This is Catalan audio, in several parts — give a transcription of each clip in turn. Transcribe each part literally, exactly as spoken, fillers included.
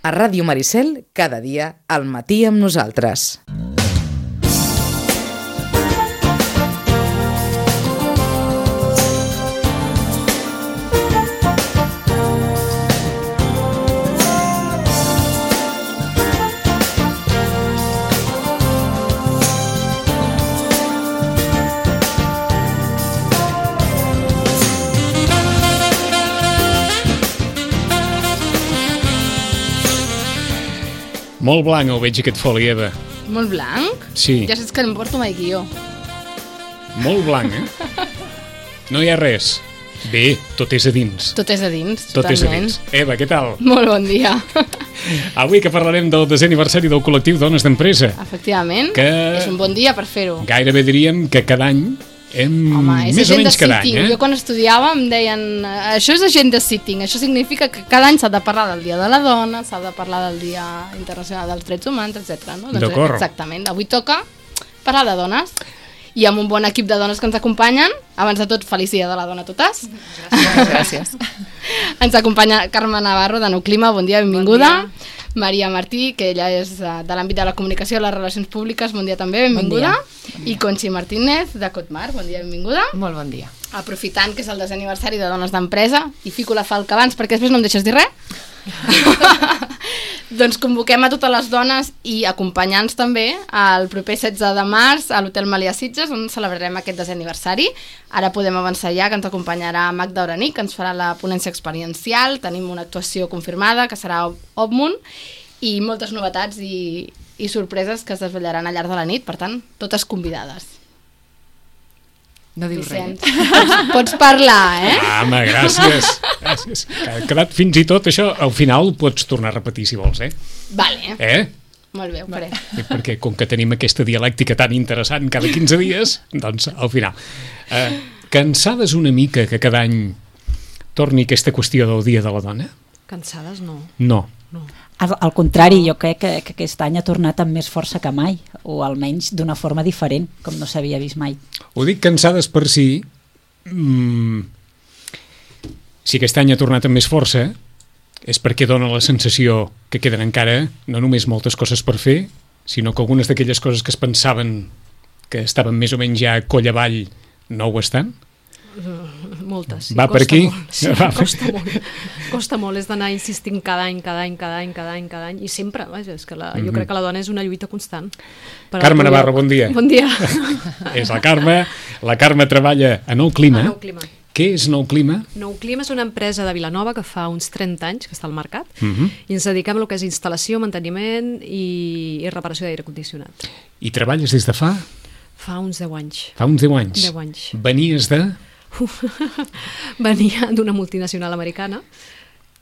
A Ràdio Maricel, cada dia, al matí amb nosaltres. Molt blanc ho veig aquest foli, Eva. Molt blanc? Sí. Ja saps que no em porto mai guió. Molt blanc, eh? No hi ha res. Bé, tot és a dins. Tot és a dins, Tot totalment. és a dins. Eva, què tal? Molt bon dia. Avui que parlarem del desè aniversari del col·lectiu Dones d'Empresa. Efectivament, Que- és un bon dia per fer-ho. Gairebé diríem que cada any hem... Home, és més o agenda menys cada sitting. any, eh? Jo quan estudiava em deien això és agenda sitting, això significa que cada any s'ha de parlar del Dia de la Dona, s'ha de parlar del Dia Internacional dels Drets Humans, etcètera. No? Doncs D'acord. exactament, avui toca parlar de dones i amb un bon equip de dones que ens acompanyen. Abans de tot, feliç Dia de la Dona a totes. Gràcies. Gràcies. Ens acompanya Carme Navarro de Nou Clima, bon dia, benvinguda. Bon dia. Maria Martí, que ella és eh, de l'àmbit de la comunicació i les relacions públiques, bon dia també, benvinguda. Bon dia. I Conxi Martínez, de Cotmar, bon dia, benvinguda. Molt bon dia. Aprofitant que és el desè aniversari de Dones d'Empresa, i fico la falca abans perquè després no em deixes dir res, doncs convoquem a totes les dones i acompanyants també el proper setze de març a l'Hotel Melià Sitges, on celebrarem aquest desè aniversari. Ara podem avançar ja, que ens acompanyarà Magda Oranic, que ens farà la ponència experiencial, tenim una actuació confirmada, que serà Òbmunt, i moltes novetats i, i sorpreses que es desvetllaran al llarg de la nit, per tant, totes convidades. No dius res. Pots, pots parlar, eh? Ah, home, gràcies. Gràcies. Ha quedat fins i tot això, al final ho pots tornar a repetir si vols, eh? Vale. Eh? Molt bé, ho faré. I perquè com que tenim aquesta dialèctica tan interessant cada quinze dies, doncs al final. Eh, cansades una mica que cada any torni aquesta qüestió del Dia de la Dona? Cansades no. No. no. Al, al contrari, jo crec que, que aquest any ha tornat amb més força que mai, o almenys d'una forma diferent, com no s'havia vist mai. Ho dic cansades per si... Mm, si aquest any ha tornat amb més força, és perquè dona la sensació que queden encara no només moltes coses per fer, sinó que algunes d'aquelles coses que es pensaven que estaven més o menys ja coll avall no ho estan. Moltes, sí. Va per costa aquí? Molt, sí, Va per- costa molt. Costa molt, és d'anar insistint cada any, cada any, cada any, cada any, cada any, i sempre, vaja, és que la, jo crec que la dona és una lluita constant. Per Carme al- Navarro, bon dia. Bon dia. És la Carme. La Carme treballa a Nou Clima. A Nou Clima. Què és Nou Clima? Nou Clima és una empresa de Vilanova que fa uns trenta anys que està al mercat, Mhm. i ens dediquem a lo que és instal·lació, manteniment i, i reparació d'aire condicionat. I treballes des de fa? Fa uns deu anys. Fa uns deu anys. Deu anys. Venies de... Venia d'una multinacional americana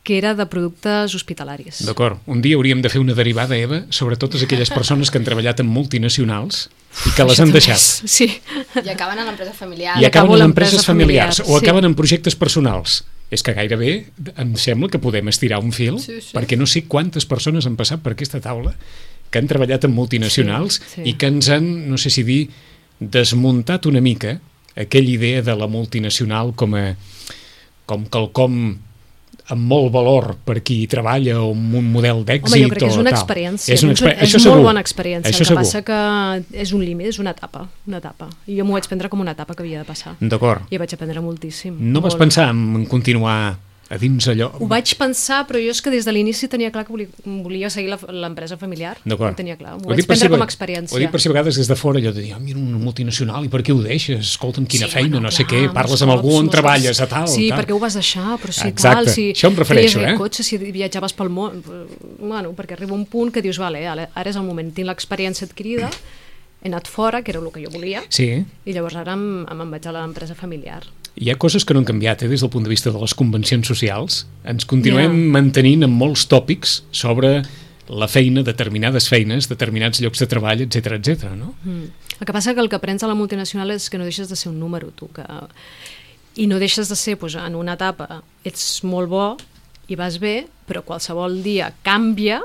que era de productes hospitalaris. D'acord. Un dia hauríem de fer una derivada, Eva, sobre totes aquelles persones que han treballat en multinacionals i que les Això han també deixat. és- Sí. I acaben en l'empresa familiar. I acaben acabo en l'empresa empreses familiars familiar, o sí. acaben en projectes personals. És que gairebé em sembla que podem estirar un fil, Sí, sí. perquè no sé quantes persones han passat per aquesta taula que han treballat en multinacionals Sí, sí. i que ens han, no sé si dir, desmuntat una mica aquella idea de la multinacional com a com quelcom amb molt valor per qui hi treballa o amb un model d'èxit. Home, jo crec que és o una tal. experiència. És, una exper és això molt segur. bona experiència. Això El que segur. passa que és un límit, és una etapa, una etapa. I jo m'ho vaig prendre com una etapa que havia de passar. D'acord. I vaig aprendre moltíssim. No vas molt. pensar en continuar a dins allò? Ho vaig pensar, però jo és que des de l'inici tenia clar que volia, volia seguir la- l'empresa familiar. D'acord. Ho tenia clar. M'ho Ho vaig dic per prendre si- com a experiència. Ho dic per si a vegades des de fora allò de dir, ah, mira, una multinacional, i per què ho deixes? Escolta'm, quina Sí, feina, bueno, no sé clar, què, parles molts amb algú cops, on molts treballes, cops. a tal, Sí, tal. perquè ho vas deixar, però sí, Exacte. tal, si Això em refereixo, feies bé eh? cotxe, si viatjaves pel món, bueno, perquè arriba un punt que dius, vale, ara ara és el moment, tinc l'experiència adquirida, he anat fora, que era el que jo volia, Sí, i llavors ara em, em vaig a l'empresa familiar. hi ha coses que no han canviat, eh, des del punt de vista de les convencions socials. Ens continuem Ja. mantenint amb molts tòpics sobre la feina, determinades feines, determinats llocs de treball, etc etc. no? Mm. El que passa que el que aprens a la multinacional és que no deixes de ser un número, tu, que... i no deixes de ser, doncs, en una etapa ets molt bo i vas bé, però qualsevol dia canvia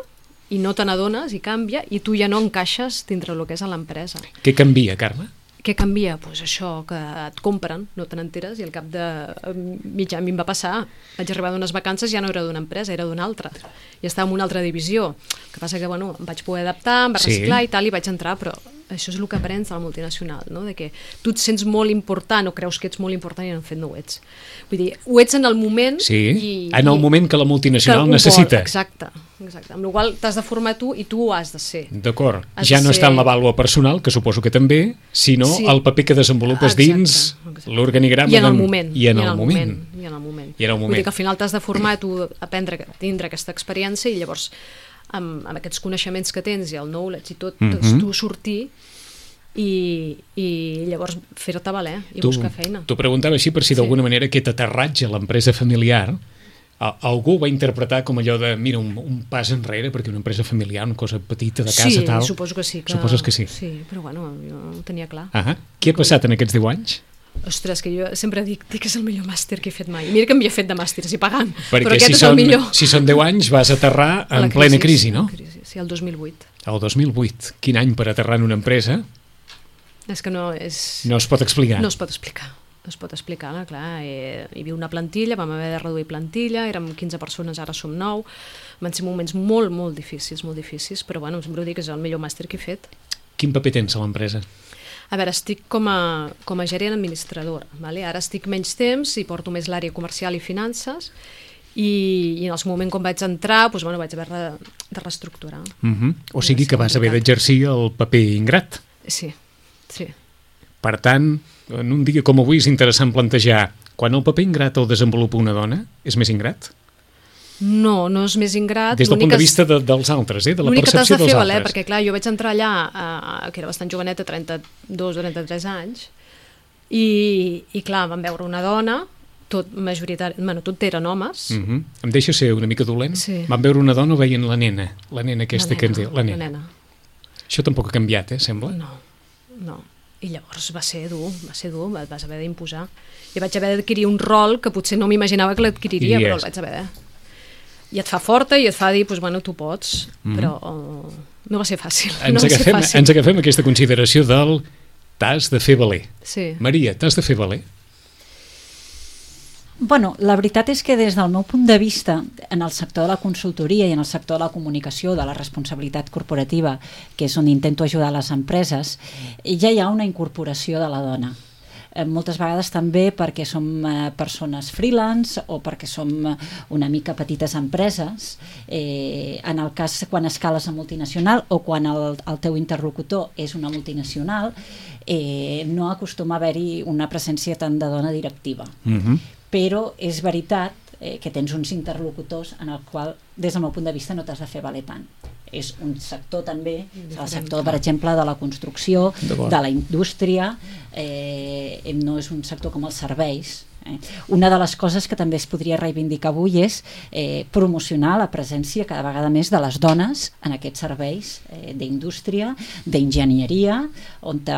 i no te n'adones i canvia i tu ja no encaixes dintre el que és a l'empresa. Què canvia, Carme? Què canvia? Pues això, que et compren, no te n'enteres, i al cap de mig any a mi em va passar. Vaig arribar d'unes vacances, ja no era d'una empresa, era d'una altra. I estava en una altra divisió. El que passa que, bueno, em vaig poder adaptar, em va reciclar sí. i tal, i vaig entrar, però això és el que aprens a la multinacional, no? De que tu et sents molt important o creus que ets molt important i en fet no ho ets. Vull dir, ho ets en el moment... Sí, i, en el i, moment que la multinacional que necessita. Vol, exacte, exacte. Amb la qual t'has de formar tu i tu ho has de ser. D'acord. Has Ja de no ser... està en la vàlua personal, que suposo que també, sinó sí. el paper que desenvolupes exacte, dins exacte. l'organigrama. I en el moment. I en el moment. I en el moment. I en el moment. Vull dir que al final t'has de formar, tu aprendre, tindre aquesta experiència i llavors amb, amb aquests coneixements que tens i el knowledge i tot, mm -hmm. doncs tu sortir i, i llavors fer-te valer i tu, buscar feina. T'ho preguntava així per si d'alguna sí. manera aquest aterratge a l'empresa familiar a, algú va interpretar com allò de mira, un, un pas enrere perquè una empresa familiar, una cosa petita de casa sí, tal. Sí, suposo que sí. Que... Suposes que sí. Sí, però bueno, jo ho tenia clar. Ah, què ha passat en aquests deu anys? Ostres, que jo sempre dic, dic que és el millor màster que he fet mai. Mira que m'hi he fet de màsters i pagant, perquè però aquest si és són, el millor. Si són deu anys vas aterrar en crisi, plena crisi, no? Crisi, sí, el dos mil vuit. El dos mil vuit. Quin any per aterrar en una empresa? És que no és... No es pot explicar. No es pot explicar. No es pot explicar, no? Clar, eh, hi havia una plantilla, vam haver de reduir plantilla, érem quinze persones, ara som nou. Van ser moments molt, molt difícils, molt difícils, però bueno, sempre ho dic, és el millor màster que he fet. Quin paper tens a l'empresa? A veure, estic com a, com a gerent administradora, vale? Ara estic menys temps i porto més l'àrea comercial i finances i, i en el seu moment quan vaig entrar doncs, bueno, vaig haver de, de reestructurar. Uh -huh. O sigui que vas haver d'exercir el paper ingrat. Sí, sí. Per tant, en un dia com avui és interessant plantejar quan el paper ingrat el desenvolupa una dona, és més ingrat? No, no és més ingrat. Des del punt de vista de, dels altres, eh? De la percepció dels altres. L'únic que t'has de fer valer, perquè clar, jo vaig entrar allà, eh, que era bastant joveneta, trenta-dos o trenta-tres anys, i, i clar, vam veure una dona, tot majoritari, bueno, tot eren homes. Uh -huh. Em deixa ser una mica dolent? Sí. Vam veure una dona o veien la nena? La nena aquesta la nena, que ens diu. La nena. La nena. Això tampoc ha canviat, eh, sembla? No, no. I llavors va ser dur, va ser dur, vas haver d'imposar. I vaig haver d'adquirir un rol que potser no m'imaginava que l'adquiriria, però el vaig haver de... I et fa forta i et fa dir, doncs, bueno, tu pots, mm. però uh, no va ser fàcil. Ens, no va agafem, ser fàcil. ens agafem aquesta consideració del t'has de fer valer. Sí. Maria, t'has de fer valer? Bueno, la veritat és que des del meu punt de vista, en el sector de la consultoria i en el sector de la comunicació, de la responsabilitat corporativa, que és on intento ajudar les empreses, ja hi ha una incorporació de la dona. Eh, moltes vegades també perquè som eh, persones freelance o perquè som una mica petites empreses, eh, en el cas quan escales a multinacional o quan el, el teu interlocutor és una multinacional, eh, no acostuma a haver-hi una presència tant de dona directiva. Mhm. Però és veritat eh, que tens uns interlocutors en el qual, des del meu punt de vista, no t'has de fer valer tant. És un sector també, el sector, per exemple, de la construcció, de la indústria, eh, no és un sector com els serveis. Eh. Una de les coses que també es podria reivindicar avui és eh, promocionar la presència cada vegada més de les dones en aquests serveis eh, d'indústria, d'enginyeria, on eh,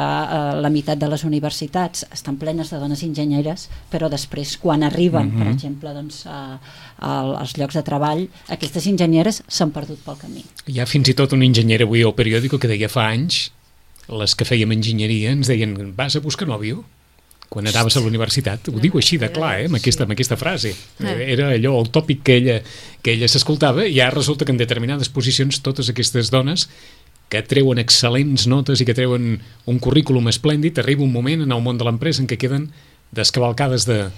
la meitat de les universitats estan plenes de dones enginyeres, però després quan arriben, mm-hmm. per exemple, doncs, a, a, als llocs de treball, aquestes enginyeres s'han perdut pel camí. Hi ha fins i tot una enginyera avui al periòdico que deia fa anys, les que fèiem enginyeria ens deien, vas a buscar nòvio? Quan anaves a la universitat, ho diu així de clar, eh, amb, aquesta, amb aquesta frase. Era allò, el tòpic que ella, que ella s'escoltava, i ara resulta que en determinades posicions totes aquestes dones que treuen excel·lents notes i que treuen un currículum esplèndid, arriba un moment en el món de l'empresa en què queden descavalcades de...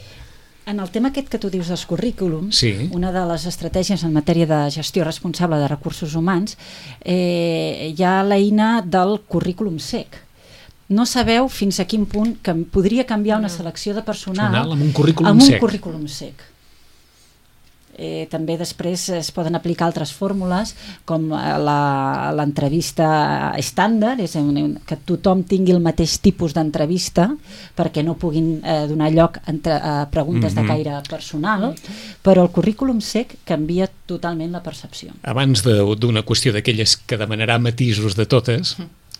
En el tema aquest que tu dius dels currículums, sí. Una de les estratègies en matèria de gestió responsable de recursos humans, eh, hi ha l'eina del currículum sec. No sabeu fins a quin punt que podria canviar una selecció de personal amb un currículum amb un sec. currículum sec. Eh, també després es poden aplicar altres fórmules com l'entrevista estàndard, és un, que tothom tingui el mateix tipus d'entrevista perquè no puguin eh, donar lloc entre, a preguntes mm-hmm. de caire personal, però el currículum sec canvia totalment la percepció. Abans d'una qüestió d'aquelles que demanarà matisos de totes,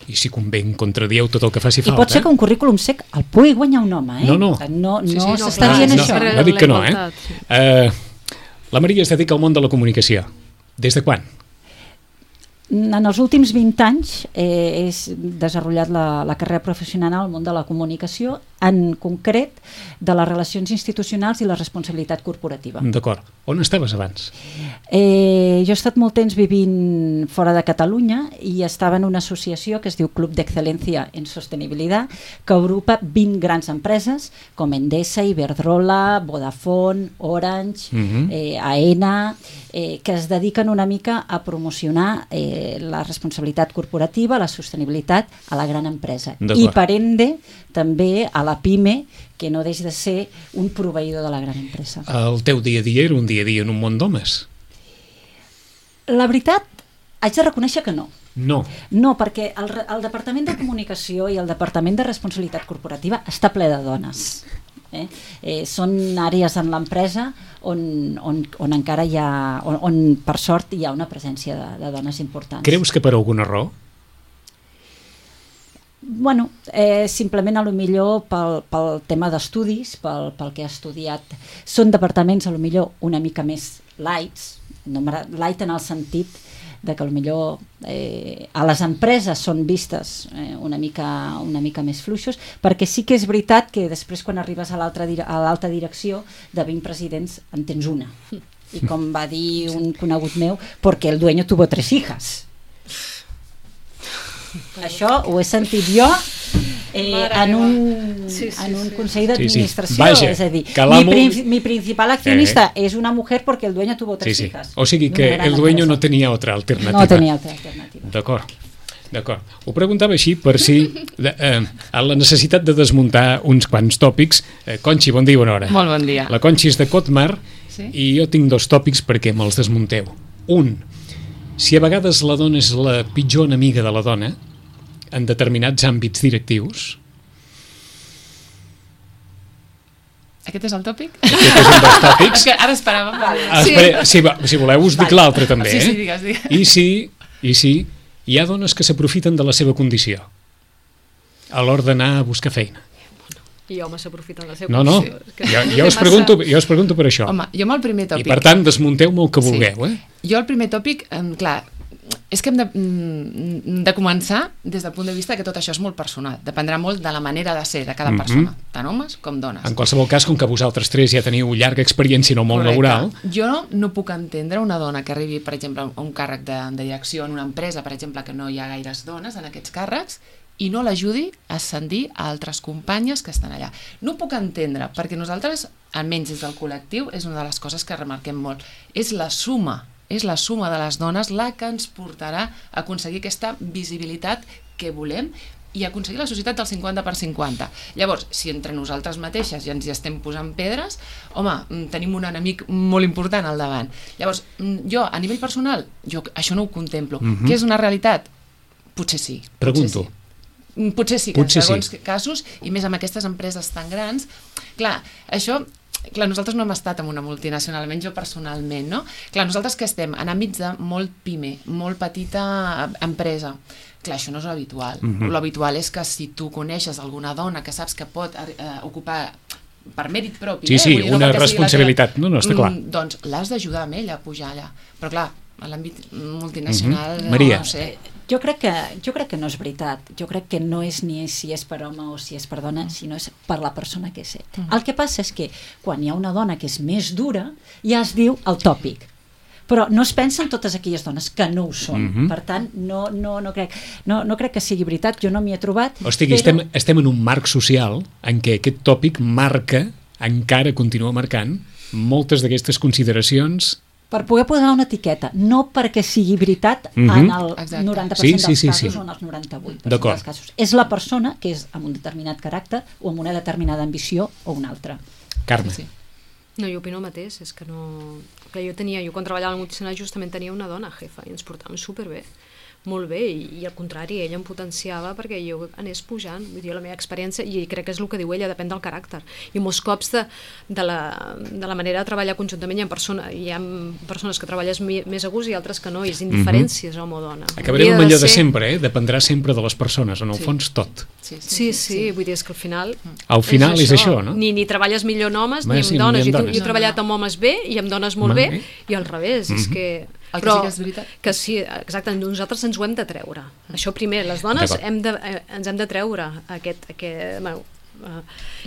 i si convé en contradieu tot el que faci falta. I pot ser que un currículum sec el pugui guanyar un home, eh? No, no. No, no, sí, sí, no s'està clar, dient no, això. No, no dic que no, eh? Uh, la Maria es dedica al món de la comunicació. Des de quan? En els últims vint anys eh, he desenvolupat la, la carrera professional al món de la comunicació, en concret de les relacions institucionals i la responsabilitat corporativa. D'acord. On estaves abans? Eh, jo he estat molt temps vivint fora de Catalunya i estava en una associació que es diu Club d'Excel·lència en Sostenibilitat, que agrupa vint grans empreses com Endesa, Iberdrola, Vodafone, Orange, uh-huh. eh, Aena, eh, que es dediquen una mica a promocionar eh, la responsabilitat corporativa, la sostenibilitat a la gran empresa. I per ende també a la PIME, que no deixa de ser un proveïdor de la gran empresa. El teu dia a dia era un dia a dia en un món d'homes? La veritat, haig de reconèixer que no. No. No, perquè el, el Departament de Comunicació i el Departament de Responsabilitat Corporativa està ple de dones. Eh? Eh, són àrees en l'empresa on, on, on encara hi ha, on, on per sort hi ha una presència de, de dones importants. Creus que per alguna raó? Bueno, eh, simplement a lo millor pel, pel tema d'estudis, pel, pel que ha estudiat. Són departaments a lo millor una mica més lights, no, light en el sentit de que a lo millor eh, a les empreses són vistes eh, una, mica, una mica més fluixos, perquè sí que és veritat que després quan arribes a l'alta a direcció de vint presidents en tens una. I com va dir un conegut meu, perquè el dueño tuvo tres hijas. Això ho he sentit jo eh, en un, sí, sí, en un consell d'administració, sí, sí. És a dir, mi, prin mi principal accionista eh. és una mujer porque el dueño tuvo tres sí, sí. hijas. O sigui que el dueño empresa. no tenia otra alternativa. No tenia altra alternativa. D'acord. D'acord. Ho preguntava així per si de, eh, a la necessitat de desmuntar uns quants tòpics. Eh, Conxi, bon dia, bona hora. Molt bon dia. La Conxi és de Cotmar sí? i jo tinc dos tòpics perquè me'ls desmunteu. Un, si a vegades la dona és la pitjor enemiga de la dona en determinats àmbits directius. Aquest és el tòpic? Aquest és un dels tòpics. Que ara esperàvem. Vale. Espera, si, si voleu us dic l'altre també. Sí, eh? sí, digues, digues. I si, I si hi ha dones que s'aprofiten de la seva condició a l'hora d'anar a buscar feina. I homes s'aprofiten de la seva no, no. condició. No, jo, jo, us pregunto, jo us pregunto per això. Home, jo amb el primer tòpic... I per tant, desmunteu-me el que vulgueu. Sí. Eh? Jo el primer tòpic, eh, clar, és que hem de, de començar des del punt de vista que tot això és molt personal. Dependrà molt de la manera de ser de cada mm-hmm. persona, tant homes com dones. En qualsevol cas, com que vosaltres tres ja teniu llarga experiència en el món Correcte. laboral... Jo no puc entendre una dona que arribi, per exemple, a un càrrec de, de direcció en una empresa, per exemple, que no hi ha gaires dones en aquests càrrecs, i no l'ajudi a ascendir a altres companyes que estan allà. No ho puc entendre, perquè nosaltres, almenys des del col·lectiu, és una de les coses que remarquem molt. És la suma és la suma de les dones la que ens portarà a aconseguir aquesta visibilitat que volem i aconseguir la societat del cinquanta per cinquanta. Llavors, si entre nosaltres mateixes ja ens hi estem posant pedres, home, tenim un enemic molt important al davant. Llavors, jo, a nivell personal, jo això no ho contemplo. Mm-hmm. Que és una realitat? Potser sí. Pregunto. Potser sí, potser sí que potser en segons sí. casos, i més amb aquestes empreses tan grans, clar, això... Clar, nosaltres no hem estat en una multinacional, almenys jo personalment, no? Clar, nosaltres que estem en àmbits de molt pime, molt petita empresa, clar, això no és l'habitual. Mm-hmm. L'habitual és que si tu coneixes alguna dona que saps que pot eh, ocupar per mèrit propi... Sí, eh? sí, Vull dir, una no responsabilitat, teva... no, no, està clar. Mm, doncs l'has d'ajudar amb ella a pujar allà. Però clar, a l'àmbit multinacional... Mm-hmm. Maria. No, no sé... Jo crec, que, jo crec que no és veritat. Jo crec que no és ni si és per home o si és per dona, sinó és per la persona que és. Mm. El que passa és que quan hi ha una dona que és més dura, ja es diu el tòpic. Però no es pensen totes aquelles dones que no ho són. Mm-hmm. Per tant, no, no, no, crec, no, no crec que sigui veritat, jo no m'hi he trobat. O sigui, però... estem, estem en un marc social en què aquest tòpic marca, encara continua marcant, moltes d'aquestes consideracions... Per poder posar una etiqueta, no perquè sigui veritat mm-hmm. en el Exacte. noranta per cent sí, sí, dels casos sí, sí. o en els noranta-vuit per cent dels casos. És la persona que és amb un determinat caràcter o amb una determinada ambició o una altra. Carme. Sí. No, jo opino el mateix, és que no... Que jo tenia, jo quan treballava al multinacional justament tenia una dona jefa i ens portàvem superbé, molt bé, i, i al contrari, ella em potenciava perquè jo anés pujant, vull dir, la meva experiència, i crec que és el que diu ella, depèn del caràcter. I molts cops de, de, la, de la manera de treballar conjuntament hi ha, persona, hi ha persones que treballes mi, més a gust i altres que no, i és indiferències mm-hmm. home o dona. Acabarem amb allò de, ser... de sempre, eh? Dependrà sempre de les persones, en el sí. fons tot. Sí sí, sí, sí, sí, vull dir, és que al final... Al final és, és això, no? Ni, ni treballes millor en homes Ma, ni amb sí, dones. ni amb jo, dones. jo he treballat amb homes bé i amb dones molt bé, i al revés, mm-hmm. és que... El que Però sí que és veritat... que sí, exacte, nosaltres ens ho hem de treure. Això primer, les dones hem de, eh, ens hem de treure aquest... aquest bueno, uh,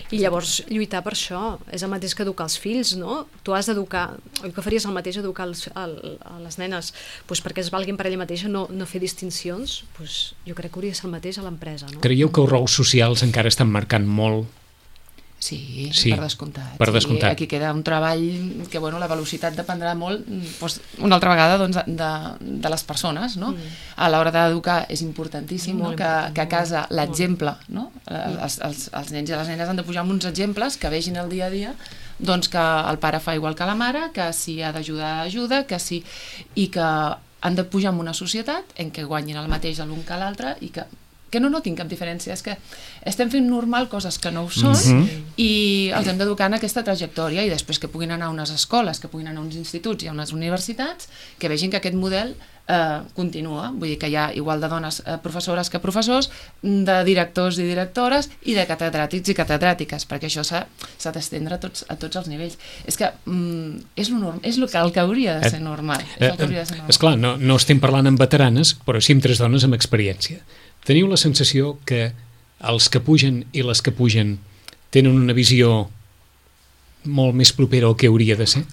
i llavors lluitar per això és el mateix que educar els fills, no? Tu has d'educar, oi que faries el mateix educar els, el, a les nenes pues perquè es valguin per ella mateixa, no, no fer distincions, pues jo crec que hauria de ser el mateix a l'empresa, no? Creieu que els rols socials encara estan marcant molt? Sí, Sí, per descomptat. per descomptat. Sí, aquí queda un treball que, bueno, la velocitat dependrà molt, doncs, una altra vegada, doncs, de, de les persones, no? Mm. A l'hora d'educar és importantíssim, no? que, que a casa l'exemple, no? Els, els, els nens i les nenes han de pujar amb uns exemples que vegin el dia a dia, doncs que el pare fa igual que la mare, que si ha d'ajudar, ajuda, que si... i que han de pujar en una societat en què guanyin el mateix l'un que l'altre i que que no notin cap diferència, és que estem fent normal coses que no ho són mm-hmm. i els hem d'educar en aquesta trajectòria i després que puguin anar a unes escoles, que puguin anar a uns instituts i a unes universitats, que vegin que aquest model eh, continua, vull dir que hi ha igual de dones eh, professores que professors, de directors i directores i de catedràtics i catedràtiques, perquè això s'ha d'estendre a tots, a tots els nivells. És que mm, és, lo norm, és lo que, el que hauria de ser normal. És el que hauria de ser normal. Esclar, no, no estem parlant amb veteranes, però sí amb tres dones amb experiència. Teniu la sensació que els que pugen i les que pugen tenen una visió molt més propera al que hauria de ser?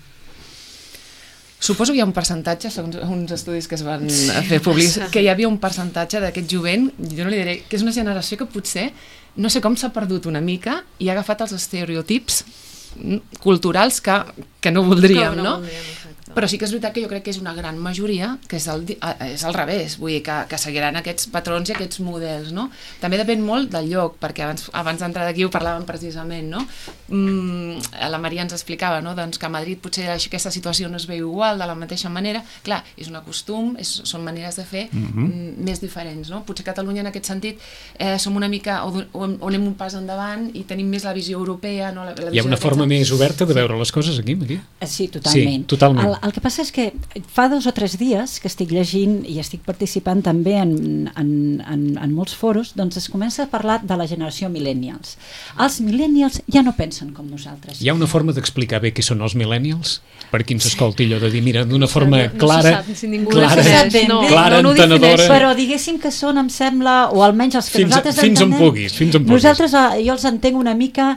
Suposo que hi ha un percentatge, segons uns estudis que es van fer públics, que hi havia un percentatge d'aquest jovent, jo no li diré, que és una generació que potser, no sé com s'ha perdut una mica i ha agafat els estereotips culturals que, que no voldríem, no, no? Voldríem, però sí que és veritat que jo crec que és una gran majoria que és, el, és al revés, vull dir que, que seguiran aquests patrons i aquests models, no? També depèn molt del lloc, perquè abans, abans d'entrar d'aquí ho parlàvem precisament, no? Mm, la Maria ens explicava, no? Doncs que a Madrid potser aquesta situació no es veu igual de la mateixa manera, clar, és un costum, és, són maneres de fer mm-hmm. més diferents, no? Potser Catalunya en aquest sentit eh, som una mica, o, o, o anem un pas endavant i tenim més la visió europea, no? La, la visió Hi ha una forma més oberta de veure les coses aquí, Maria? Sí, totalment. Sí, totalment. El, el que passa és que fa dos o tres dies que estic llegint i estic participant també en, en, en, en molts foros, doncs es comença a parlar de la generació millennials. Els millennials ja no pensen com nosaltres. Hi ha una forma d'explicar bé què són els millennials? Per qui ens escolti allò de dir, mira, d'una forma no, no clara, se sap, si ningú clara, defineix, no. clara, no, no entenedora... Però diguéssim que són, em sembla, o almenys els que fins, nosaltres fins entenem... on puguis, fins on puguis. Nosaltres, jo els entenc una mica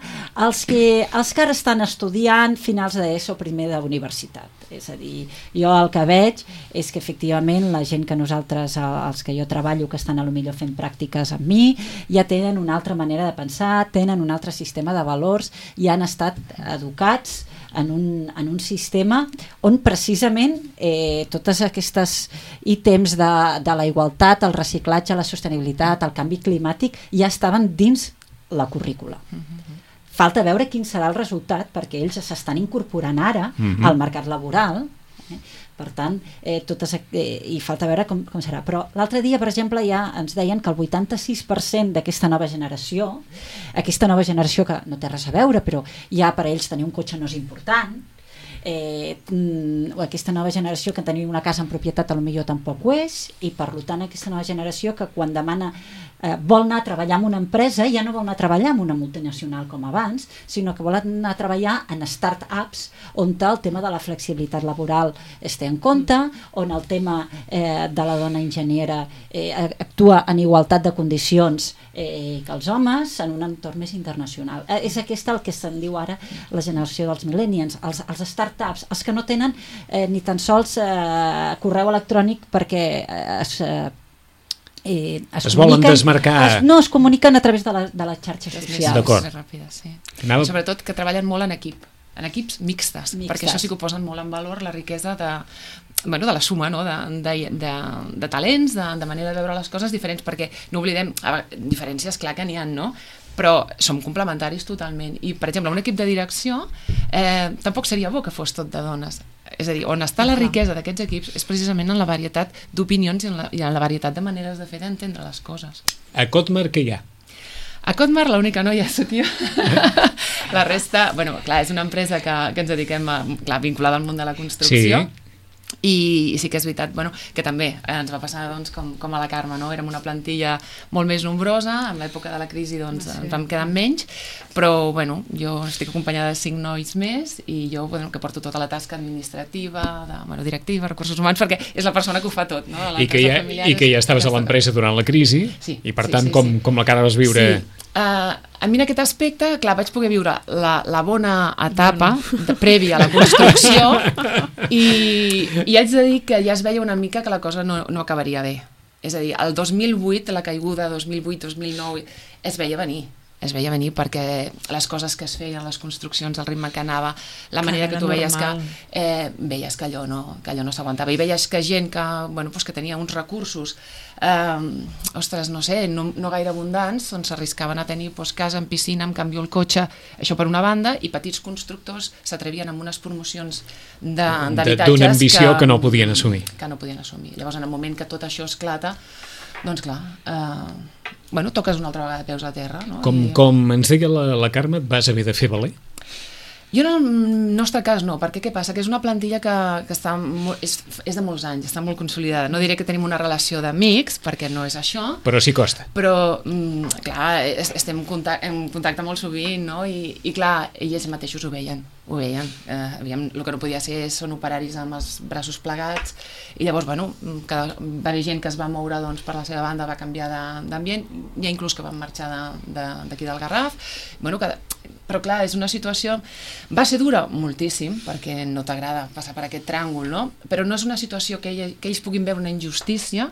els que, els que ara estan estudiant finals d'ESO, primer d'universitat. És a dir, jo el que veig és que efectivament la gent que nosaltres, els que jo treballo, que estan a lo millor fent pràctiques amb mi, ja tenen una altra manera de pensar, tenen un altre sistema de valors i han estat educats en un, en un sistema on precisament eh, totes aquestes ítems de, de la igualtat, el reciclatge, la sostenibilitat, el canvi climàtic ja estaven dins la currícula. Falta veure quin serà el resultat perquè ells s'estan incorporant ara mm-hmm. al mercat laboral, eh? Per tant, eh, totes, eh, i falta veure com, com serà. Però l'altre dia, per exemple, ja ens deien que el vuitanta-sis per cent d'aquesta nova generació, aquesta nova generació que no té res a veure, però ja per a ells tenir un cotxe no és important, eh, o aquesta nova generació que tenir una casa en propietat a lo millor tampoc ho és, i per tant aquesta nova generació que quan demana eh, vol anar a treballar en una empresa ja no vol anar a treballar en una multinacional com abans, sinó que vol anar a treballar en start-ups on el tema de la flexibilitat laboral es té en compte, on el tema eh, de la dona enginyera eh, actua en igualtat de condicions eh, que els homes en un entorn més internacional. Eh, és aquesta el que se'n diu ara la generació dels millennials, els, els start-ups, els que no tenen eh, ni tan sols eh, correu electrònic perquè eh, es... Eh, Eh, es, es volen desmarcar... Es, no, es comuniquen a través de, la, de les xarxes és socials. D'acord. Més ràpida, sí. Anava... Sobretot que treballen molt en equip, en equips mixtes, mixtes. perquè això sí que ho posen molt en valor, la riquesa de, bueno, de la suma, no? de, de, de, de talents, de, de manera de veure les coses diferents, perquè no oblidem, a, diferències clar que n'hi ha, no? Però som complementaris totalment. I, per exemple, un equip de direcció eh, tampoc seria bo que fos tot de dones. És a dir, on està la riquesa d'aquests equips és precisament en la varietat d'opinions i, en la, i en la varietat de maneres de fer d'entendre les coses. A Cotmar què hi ha? A Cotmar l'única noia sóc jo. La resta, bueno, clar, és una empresa que, que ens dediquem a, clar, vinculada al món de la construcció. Sí. i sí que és veritat, bueno, que també ens va passar doncs, com, com a la Carme, no? Érem una plantilla molt més nombrosa, en l'època de la crisi doncs, sí. ens vam quedar menys, però bueno, jo estic acompanyada de cinc nois més i jo bueno, que porto tota la tasca administrativa, de, bueno, directiva, recursos humans, perquè és la persona que ho fa tot. No? I, que ja, I que ja estaves a l'empresa durant la crisi sí, i per sí, tant sí, com, sí. com la cara vas viure... Sí. Uh, a mi en aquest aspecte, clar, vaig poder viure la, la bona etapa de, prèvia a la construcció i, i haig de dir que ja es veia una mica que la cosa no, no acabaria bé. És a dir, el dos mil vuit, la caiguda dos mil vuit dos mil nou, es veia venir. Es veia venir perquè les coses que es feien, les construccions, el ritme que anava, la manera que tu veies que, eh, veies que allò no, que allò no s'aguantava. I veies que gent que, bueno, pues que tenia uns recursos, eh, ostres, no sé, no, no gaire abundants, doncs s'arriscaven a tenir pues, casa amb piscina, amb canvi el cotxe, això per una banda, i petits constructors s'atrevien amb unes promocions d'habitatges d'una ambició que, que no podien assumir. Que no podien assumir. Llavors, en el moment que tot això esclata, doncs clar, eh, bueno, toques una altra vegada peus a terra. No? Com, I... com ens deia la, la Carme, et vas haver de fer valer? Jo en el nostre cas no, perquè què passa? Que és una plantilla que, que està molt, és, és de molts anys, està molt consolidada. No diré que tenim una relació d'amics, perquè no és això. Però sí costa. Però, mm, clar, estem en contacte, en contacte molt sovint, no? I, i clar, ells mateixos ho veien, ho veien. Eh, aviam, el que no podia ser són operaris amb els braços plegats, i llavors, bueno, cada, va haver gent que es va moure doncs, per la seva banda, va canviar d'ambient, hi ha inclús que van marxar d'aquí de, de, del Garraf. Bueno, cada... Però clar, és una situació... Va ser dura moltíssim, perquè no t'agrada passar per aquest tràngol, no? Però no és una situació que, ell, que ells puguin veure una injustícia,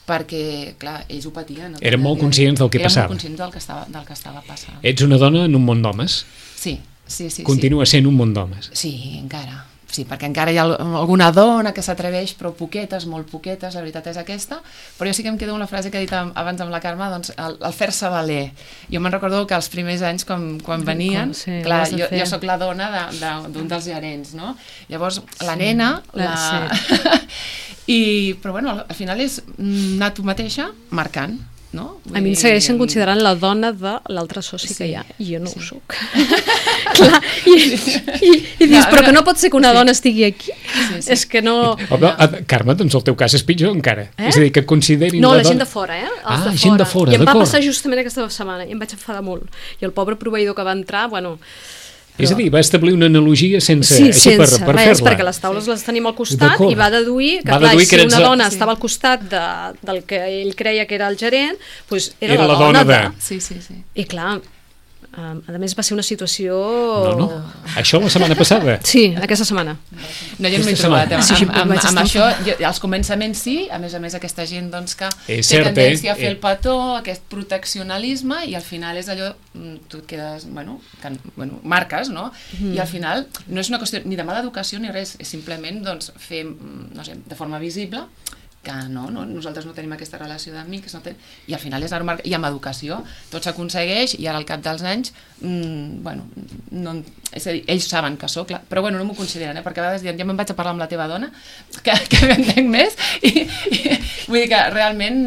perquè, clar, ells ho patien. No? Eren molt conscients del que Eren passava. Eren molt conscients del que, estava, del que estava passant. Ets una dona en un món d'homes? Sí, sí, sí. Continua sí. sent un món d'homes? Sí, encara. Sí, perquè encara hi ha alguna dona que s'atreveix, però poquetes, molt poquetes, la veritat és aquesta. Però jo sí que em quedo amb la frase que he dit abans amb la Carme, doncs el, el fer-se valer. Jo me'n recordo que els primers anys, quan, quan venien, sí, clar, jo, jo sóc la dona d'un de, de, dels gerents, no? Llavors, la sí, nena... La... Sí. I, però bueno, al final és anar tu mateixa marcant. No? A mi em segueixen considerant la dona de l'altre soci sí, que hi ha, i jo no sí. ho soc. Clar, i, i, i dius, però que no pot ser que una sí. dona estigui aquí? Sí, sí. És que no... Home, no. Carme, doncs el teu cas és pitjor encara. Eh? És a dir, que et considerin no, la, la dona... gent de fora, eh? Els ah, de gent fora. de fora, I em va d'acord. passar justament aquesta setmana, i em vaig enfadar molt. I el pobre proveïdor que va entrar, bueno... Però... És a dir, va establir una analogia sense, sí, així sense per, per res, fer-la. perquè les taules sí. les tenim al costat i va deduir que, va clar, deduir si que una dona sí. estava al costat de, del que ell creia que era el gerent, doncs era, era la, la dona, dona de... de... Sí, sí, sí. I clar, Um, a més va ser una situació... No, no, això la setmana passada. Sí, aquesta setmana. No, jo no m'he trobat. Amb, amb, amb, amb això, jo, als començaments sí, a més a més aquesta gent doncs, que és té cert, tendència eh? a fer el petó, aquest proteccionalisme, i al final és allò, tu et quedes, bueno, que, bueno marques, no? Mm. I al final no és una qüestió ni de mala educació ni res, és simplement doncs, fer, no sé, de forma visible, que no, no, nosaltres no tenim aquesta relació d'amics, no ten... i al final és normal, i amb educació tot s'aconsegueix, i ara al cap dels anys mmm, bueno, no, és a dir, ells saben que sóc, clar, però bueno, no m'ho consideren, eh? Perquè a vegades diuen, ja me'n vaig a parlar amb la teva dona, que, que m'entenc més, i, i vull dir que realment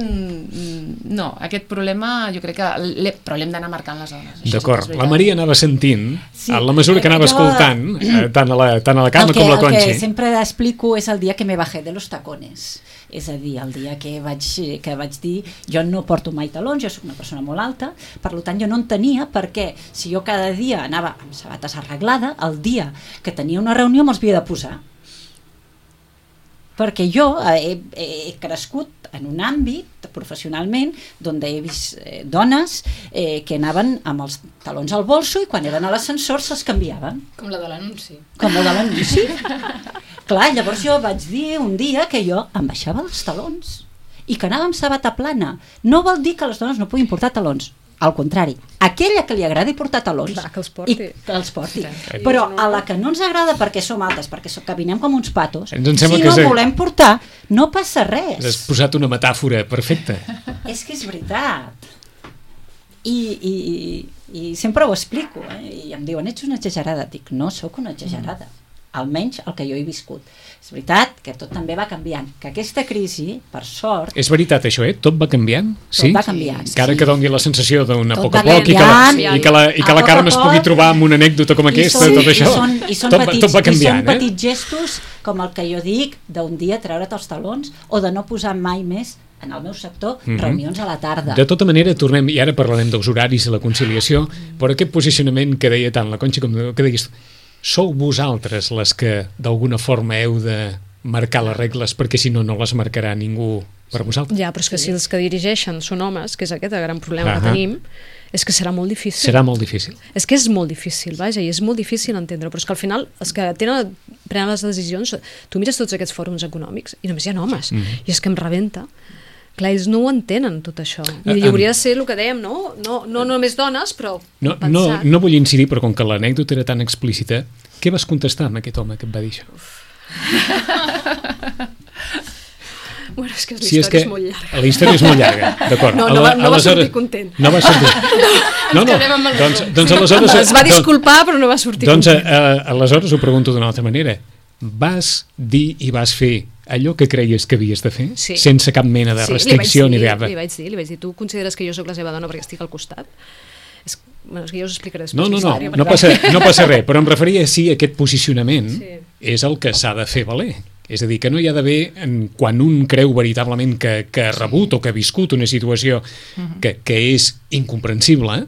no, aquest problema jo crec que, però l'hem d'anar marcant les zones. D'acord, la Maria anava sentint, sí. a la mesura que anava jo... escoltant, eh, tant, a la, tant a la Carme que, com a la Conchi. El que sempre explico és el dia que me bajé de los tacones. És a dir, el dia que vaig, que vaig dir jo no porto mai talons, jo soc una persona molt alta, per tant jo no en tenia, perquè si jo cada dia anava amb sabates arreglada, el dia que tenia una reunió me'ls havia de posar. Perquè jo he, he crescut en un àmbit professionalment on he vist eh, dones eh, que anaven amb els talons al bolso i quan eren a l'ascensor se'ls canviaven. Com la de l'anunci. Com la de l'anunci. Clar, llavors jo vaig dir un dia que jo em baixava els talons i que anava amb sabata plana. No vol dir que les dones no puguin portar talons. Al contrari, aquella que li agradi portar talons, va, que els porti. I que els porti. Sí. Però a la que no ens agrada perquè som altes, perquè caminem com uns patos, si no que volem portar, no passa res. Has posat una metàfora perfecta. És que és veritat. I, i, i sempre ho explico, eh? I em diuen, ets una exagerada. Dic, no, sóc una exagerada. almenys el que jo he viscut. És veritat que tot també va canviant, que aquesta crisi, per sort... És veritat això, eh? Tot va canviant? Sí? Tot va canviant, sí. Encara que doni la sensació d'una Tot poc a va poc i que la, canviant. i que la, i que A la poc a Carme es poc. pugui trobar amb una anècdota com aquesta, I són, tot això, I són, i són tot, petits, tot va canviant, i són eh? petits gestos com el que jo dic d'un dia treure't els talons o de no posar mai més en el meu sector Mhm. reunions a la tarda. De tota manera, tornem, i ara parlarem dels horaris i la conciliació, però aquest posicionament que deia tant la Conxa com que deies, sou vosaltres les que d'alguna forma heu de marcar les regles, perquè si no, no les marcarà ningú per vosaltres. Ja, però és que si els que dirigeixen són homes, que és aquest el gran problema Ahà. que tenim, és que serà molt difícil. Serà molt difícil. És que és molt difícil, vaja, i és molt difícil entendre, però és que al final els que tenen, prenen les decisions, tu mires tots aquests fòrums econòmics i només hi ha homes, Mhm. i és que em rebenta. Clar, ells no ho entenen, tot això. I Ah, hauria de ser el que dèiem, no? No, no només dones, però No, no, pensar... no vull incidir, però com que l'anècdota era tan explícita, què vas contestar amb aquest home que et va dir això? Bueno, és que la Si història és que és molt llarga. la història és molt llarga, d'acord. No, no va- no va sortir content. No va sortir. No, no, quedem amb el doncs, resum. doncs aleshores... Es va disculpar, però no va sortir Doncs content. eh, aleshores ho pregunto d'una altra manera. Vas dir i vas fer allò que creies que havies de fer, Sí. sense cap mena de Sí, li vaig restricció dir, ni de... Li vaig dir, li vaig dir, tu consideres que jo sóc la seva dona perquè estic al costat? És, bueno, és que jo us explicaré després No, no, la no, història, no perquè- passa, no passa res, però em referia si aquest posicionament Sí. és el que s'ha de fer valer. És a dir, que no hi ha d'haver, en- quan un creu veritablement que, que ha rebut o que ha viscut una situació que, que és incomprensible,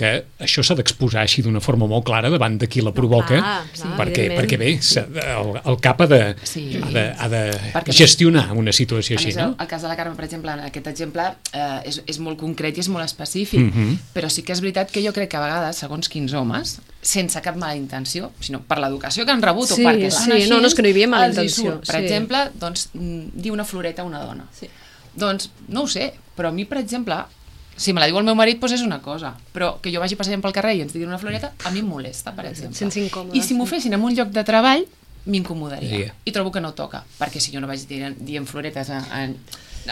que això s'ha d'exposar així d'una forma molt clara davant de qui la provoca, clar, clar, perquè, evidentment. perquè bé, s'ha de- el, el cap ha de, Sí. ha de, ha de Perquè- gestionar una situació A així, més, no? el, el cas de la Carme, per exemple, en aquest exemple eh, és, és molt concret i és molt específic, Mhm. però sí que és veritat que jo crec que a vegades, segons quins homes, sense cap mala intenció, sinó per l'educació que han rebut Sí, o perquè sí, són així, no, no, és que no hi havia mala els hi intenció, surt. Per sí. exemple, doncs, mm, dir una floreta a una dona. Sí. Doncs, no ho sé, però a mi, per exemple, si me la diu el meu marit, doncs és una cosa, però que jo vagi passant pel carrer i ens diguin una floreta, a mi em molesta, per exemple. Sense incòmode, I si m'ho sí. fessin en un lloc de treball, m'incomodaria. Sí. I trobo que no toca, perquè si jo no vaig dient, dient floretes a, a,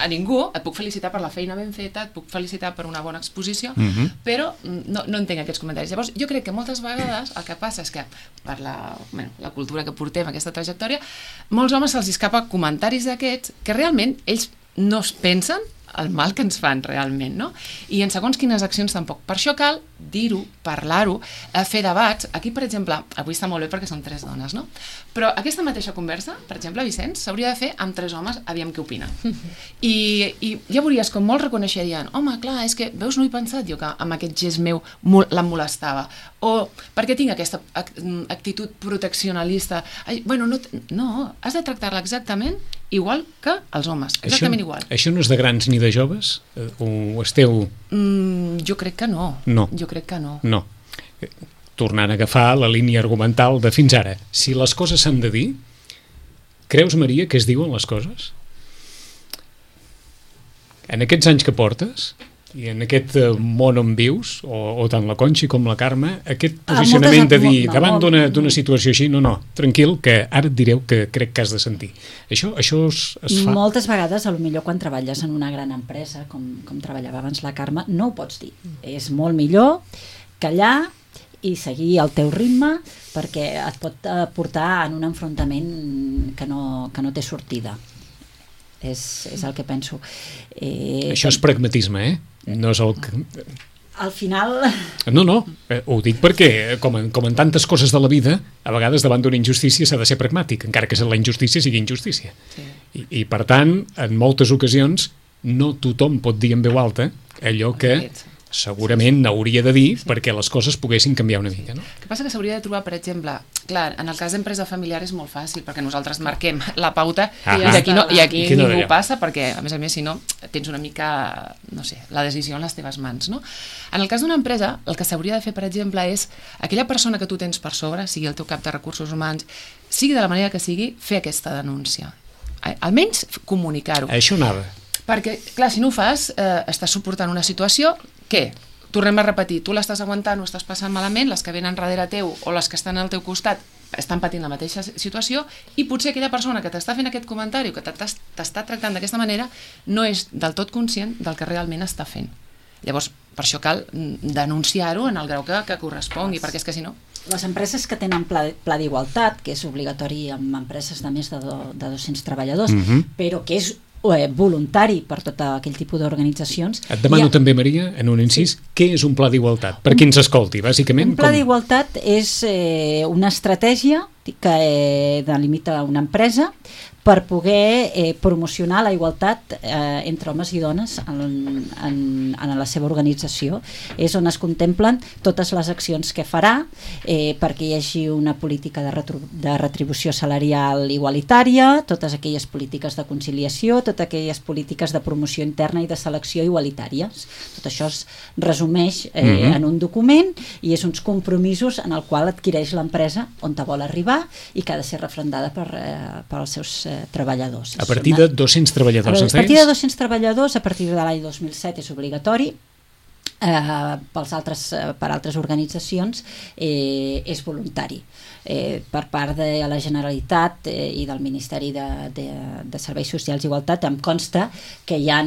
a ningú, et puc felicitar per la feina ben feta, et puc felicitar per una bona exposició, Mhm. però no, no entenc aquests comentaris. Llavors, jo crec que moltes vegades el que passa és que per la, bueno, la cultura que portem, aquesta trajectòria, molts homes se'ls escapa comentaris d'aquests que realment ells no es pensen el mal que ens fan realment, no? I en segons quines accions tampoc. Per això cal dir-ho, parlar-ho, eh, fer debats. Aquí, per exemple, avui està molt bé perquè són tres dones, no? Però aquesta mateixa conversa, per exemple, Vicenç, s'hauria de fer amb tres homes, aviam què opinen. I, I ja veuries com molts reconeixerien, home, clar, és que, veus, no he pensat jo que amb aquest gest meu mol- la molestava. O perquè tinc aquesta ac- actitud proteccionalista. Ai, bueno, no, t- no, has de tractar-la exactament igual que els homes, exactament això, igual. Això no és de grans ni de joves? Eh, O esteu... Mm, jo crec que no. No. Jo crec que no. No. Eh, Tornant a agafar la línia argumental de fins ara. Si les coses s'han de dir, creus, Maria, que es diuen les coses? En aquests anys que portes, i en aquest eh, món on vius, o, o tant la Conxi com la Carme, aquest Ah, posicionament moltes- de dir, no, davant molt- d'una d'una situació així, no, no, tranquil, que ara et direu que crec que has de sentir. Això, això es, es fa... Moltes vegades, a lo millor quan treballes en una gran empresa, com, com treballava abans la Carme, no ho pots dir. És molt millor callar i seguir el teu ritme perquè et pot eh, portar en un enfrontament que no, que no té sortida. És, és el que penso. Eh, Això és pragmatisme, eh? No és el que... Al final... No, no, eh, ho dic perquè, com en, com en tantes coses de la vida, a vegades davant d'una injustícia s'ha de ser pragmàtic, encara que la injustícia sigui injustícia. Sí. I, I, per tant, en moltes ocasions, no tothom pot dir en veu alta allò que segurament hauria de dir perquè les coses poguessin canviar una mica, no? El que passa que s'hauria de trobar, per exemple, clar, en el cas d'empresa familiar és molt fàcil perquè nosaltres marquem la pauta Ah, i aquí, no, i aquí Aquí no ningú d'allò. passa perquè, a més a més, si no, tens una mica, no sé, la decisió en les teves mans, no? En el cas d'una empresa, el que s'hauria de fer, per exemple, és aquella persona que tu tens per sobre, sigui el teu cap de recursos humans, sigui de la manera que sigui, fer aquesta denúncia. Almenys comunicar-ho. Això anava. Perquè, clar, si no ho fas, eh, estàs suportant una situació que, tornem a repetir, tu l'estàs aguantant o estàs passant malament, les que venen darrere teu o les que estan al teu costat estan patint la mateixa situació i potser aquella persona que t'està fent aquest comentari o que t'està tractant d'aquesta manera no és del tot conscient del que realment està fent. Llavors, per això cal denunciar-ho en el grau que, que correspongui, perquè és que si no... Les empreses que tenen pla, pla d'igualtat, que és obligatori amb empreses de més de, do, de dos-cents treballadors, Mhm. però que és eh, voluntari per tot aquell tipus d'organitzacions. Et demano Hi ha- també, Maria, en un incís, què és un pla d'igualtat? Per qui ens escolti, bàsicament. Un pla com- d'igualtat és eh, una estratègia que eh, delimita una empresa per poder eh, promocionar la igualtat eh, entre homes i dones en, en, en la seva organització. És on es contemplen totes les accions que farà eh, perquè hi hagi una política de, retru de retribució salarial igualitària, totes aquelles polítiques de conciliació, totes aquelles polítiques de promoció interna i de selecció igualitàries. Tot això es resumeix eh, Mhm. en un document i és uns compromisos en el qual adquireix l'empresa on te vol arribar i que ha de ser refrendada per, eh, per als seus eh, treballadors. A partir de dos-cents treballadors, a ens partir de deies? dos-cents treballadors, a partir de l'any dos mil set és obligatori, eh, pels altres, eh, per altres organitzacions eh, és voluntari. Eh, per part de la Generalitat eh, i del Ministeri de, de, de Serveis Socials i Igualtat em consta que hi ha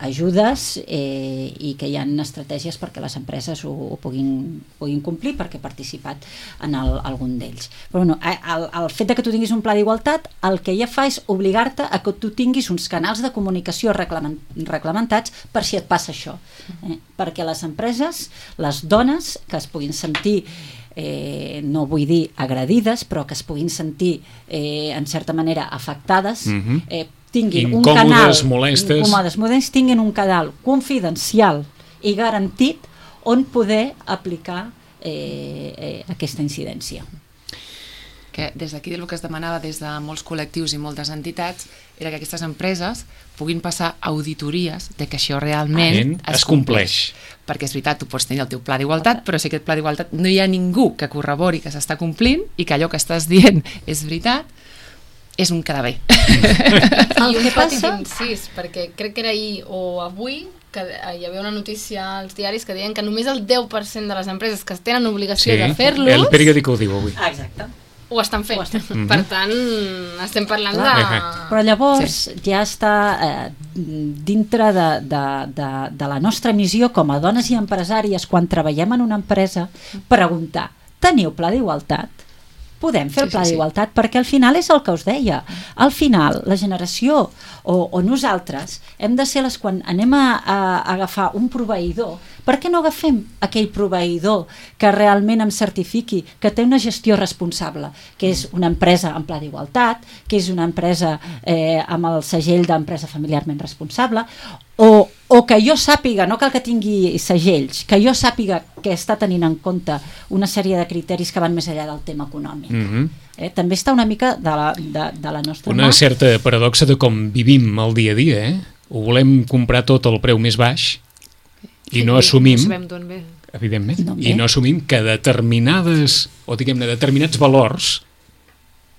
ajudes eh, i que hi ha estratègies perquè les empreses ho, ho puguin, puguin complir perquè he participat en el, algun d'ells. Però bueno, el, el fet de que tu tinguis un pla d'igualtat el que ja fa és obligar-te a que tu tinguis uns canals de comunicació reclament, reglamentats per si et passa això. Eh? Perquè les empreses, les dones que es puguin sentir Eh, no vull dir agredides, però que es puguin sentir eh, en certa manera afectades, Mhm. eh, tinguin un Incòmodes, canal molestes. incòmodes, molestes, tinguin un canal confidencial i garantit on poder aplicar eh, eh, aquesta incidència. Que des d'aquí el que es demanava des de molts col·lectius i moltes entitats era que aquestes empreses puguin passar auditories de que això realment es compleix. Perquè és veritat, tu pots tenir el teu pla d'igualtat, però si aquest pla d'igualtat no hi ha ningú que corrobori que s'està complint i que allò que estàs dient és veritat, és un quedar bé. El I un que petit passa... incís, perquè crec que era ahir o avui que hi havia una notícia als diaris que deien que només el deu per cent de les empreses que tenen obligació de el fer-los periòdico ho diu avui. Ah, exacte. ho estan fent. Ho estan fent. Per tant, estem parlant Clar. de... Però llavors sí. ja està eh, dintre de, de, de, de la nostra missió com a dones i empresàries quan treballem en una empresa preguntar, teniu pla d'igualtat? Podem fer el pla Sí, sí, sí. d'igualtat? Perquè al final és el que us deia. Al final, la generació o, o nosaltres hem de ser les quan anem a, a, a agafar un proveïdor. Per què no agafem aquell proveïdor que realment em certifiqui que té una gestió responsable, que és una empresa en pla d'igualtat, que és una empresa eh, amb el segell d'empresa familiarment responsable, o, o que jo sàpiga, no cal que tingui segells, que jo sàpiga que està tenint en compte una sèrie de criteris que van més enllà del tema econòmic. Mhm. Eh? També està una mica de la, de, de la nostra Una mà. certa paradoxa de com vivim el dia a dia, eh? Ho volem comprar tot al preu més baix i no assumim, No sabem d'on ve. evidentment, No, i no assumim que determinades, o diguem-ne, determinats valors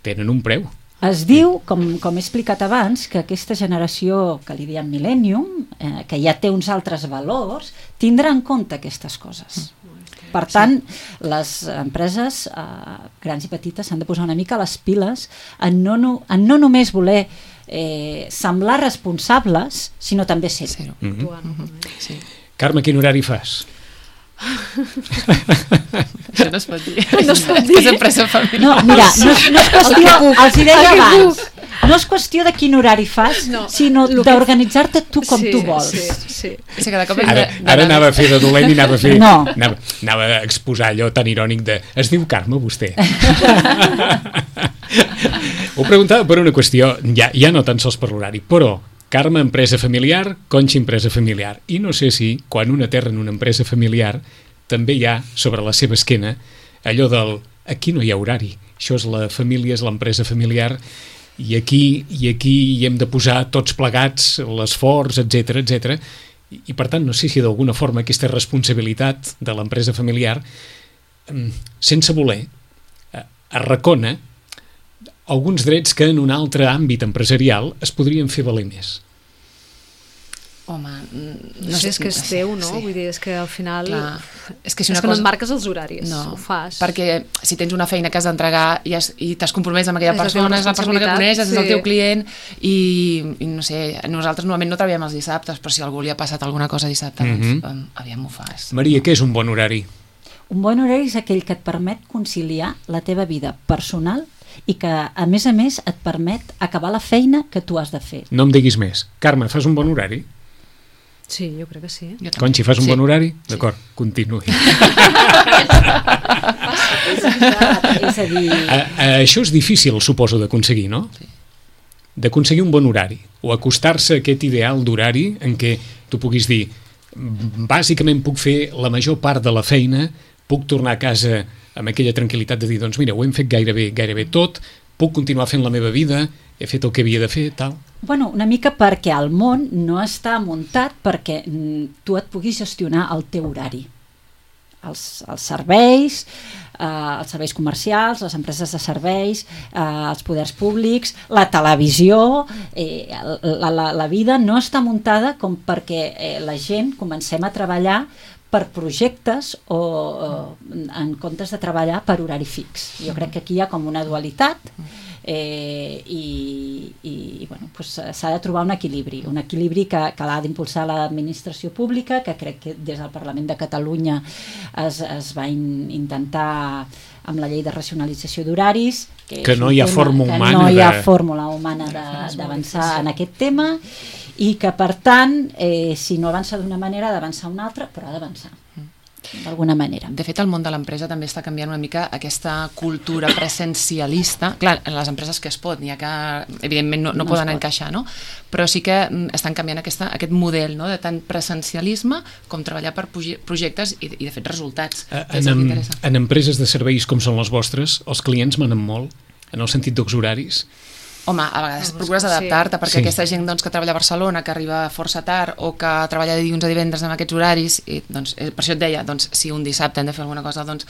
tenen un preu. Es diu, com, com he explicat abans, que aquesta generació que li diem Millennium, eh, que ja té uns altres valors, tindrà en compte aquestes coses. Per tant, les empreses eh, grans i petites s'han de posar una mica les piles en no, no, en no només voler eh, semblar responsables, sinó també ser-ho. Ser-ho. Mhm. Sí. Carme, quin horari fas? Això no es pot dir. No es pot dir. És empresa familiar. No, mira, no, és- no és qüestió, els hi deia abans, no és qüestió de quin horari fas, No, sinó el que- d'organitzar-te tu com sí, tu vols. Sí, sí. És que cada cop hem Ara, de- ara d'anar- anava a fer de dolent i anava a fer... No. Anava, anava a exposar allò tan irònic de... Es diu Carme, vostè? Ho preguntava per una qüestió, ja, ja no tan sols per l'horari, però Carme, empresa familiar, Conxa, empresa familiar. I no sé si, quan una terra en una empresa familiar, també hi ha, sobre la seva esquena, allò del... Aquí no hi ha horari. Això és la família, és l'empresa familiar, i aquí, i aquí hi hem de posar tots plegats l'esforç, etcètera, etcètera. I, I per tant, no sé si d'alguna forma aquesta responsabilitat de l'empresa familiar, mm, sense voler, eh, arracona alguns drets que en un altre àmbit empresarial es podrien fer valer més. Home, mm, No sé, és que és teu, no? Sí. Vull dir, és que al final... Clar. És que si és una que no cosa... et marques els horaris, No, ho fas. perquè si tens una feina que has d'entregar i, has, i t'has compromès amb aquella És la teva persona, és la persona que responsabilitat, coneixes, és el sí. teu client i, i no sé, nosaltres normalment no treballem els dissabtes, però si a algú li ha passat alguna cosa dissabte, doncs, Mhm. um, aviam, ho fas. Maria, què és un bon horari? Un bon horari és aquell que et permet conciliar la teva vida personal i que, a més a més, et permet acabar la feina que tu has de fer. No em diguis més. Carme, fas un bon horari? Sí, jo crec que sí. Conxi, fas un Sí. bon horari? Sí. D'acord, continuï. És veritat, és a dir... A, a, això és difícil, suposo, d'aconseguir, no? Sí. D'aconseguir un bon horari, o acostar-se a aquest ideal d'horari en què tu puguis dir, bàsicament puc fer la major part de la feina, puc tornar a casa amb aquella tranquil·litat de dir, doncs mira, ho hem fet gairebé, gairebé tot, puc continuar fent la meva vida, he fet el que havia de fer, tal. Bueno, una mica perquè el món no està muntat perquè mm, tu et puguis gestionar el teu horari. Els, els serveis, eh, els serveis comercials, les empreses de serveis, eh, els poders públics, la televisió, eh, la, la, la vida no està muntada com perquè eh, la gent comencem a treballar per projectes o, o en comptes de treballar per horari fix. Jo crec que aquí hi ha com una dualitat eh, i, i bueno, pues, s'ha de trobar un equilibri, un equilibri que, que l'ha d'impulsar l'administració pública, que crec que des del Parlament de Catalunya es, es va in, intentar amb la llei de racionalització d'horaris, que, Que és no un hi ha tema forma que humana no hi ha de- fórmula humana de- d'avançar en aquest tema, i que per tant eh, si no avança d'una manera ha d'avançar una altra, però ha d'avançar d'alguna manera. De fet, el món de l'empresa també està canviant una mica aquesta cultura presencialista. Clar, en les empreses que es pot, n'hi ha que evidentment no, no, No poden es pot. encaixar, no? Però sí que mm, estan canviant aquesta, aquest model, no? De tant presencialisme com treballar per proje- projectes i, i de fet resultats. Eh, Que és En, el que em- interessa. en empreses de serveis com són les vostres, els clients manen molt, en el sentit dels horaris. Home, a vegades Sí. procures adaptar-te perquè Sí. aquesta gent doncs, que treballa a Barcelona, que arriba força tard o que treballa de dilluns a divendres amb aquests horaris, i, doncs, eh, per això et deia, doncs, si un dissabte hem de fer alguna cosa, doncs